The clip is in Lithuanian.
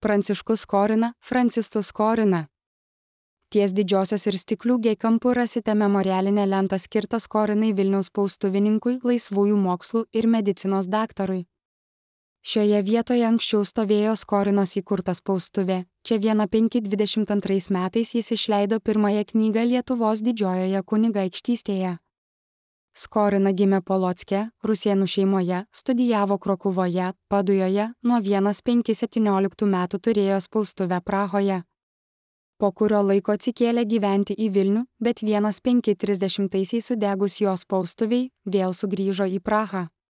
Pranciškus Skorina, Francistus Skorina. Ties Didžiosios ir Stiklių G kampu rasite memorialinę lentą skirtą Skorinai Vilniaus spaustuvininkui, laisvųjų mokslų ir medicinos daktarui. Šioje vietoje anksčiau stovėjo Skorinos įkurta spaustuvė. Čia 1522 metais jis išleido pirmąją knygą Lietuvos didžiojoje kunigaikštystėje. Skorina gimė Polocke, rusėnų šeimoje, studijavo Krokuvoje, Padujoje, nuo 1517 metų turėjo spaustuvę Prahoje. Po kurio laiko atsikėlė gyventi į Vilnių, bet 1530 sudegus jo spaustuviai, vėl sugrįžo į Prahą.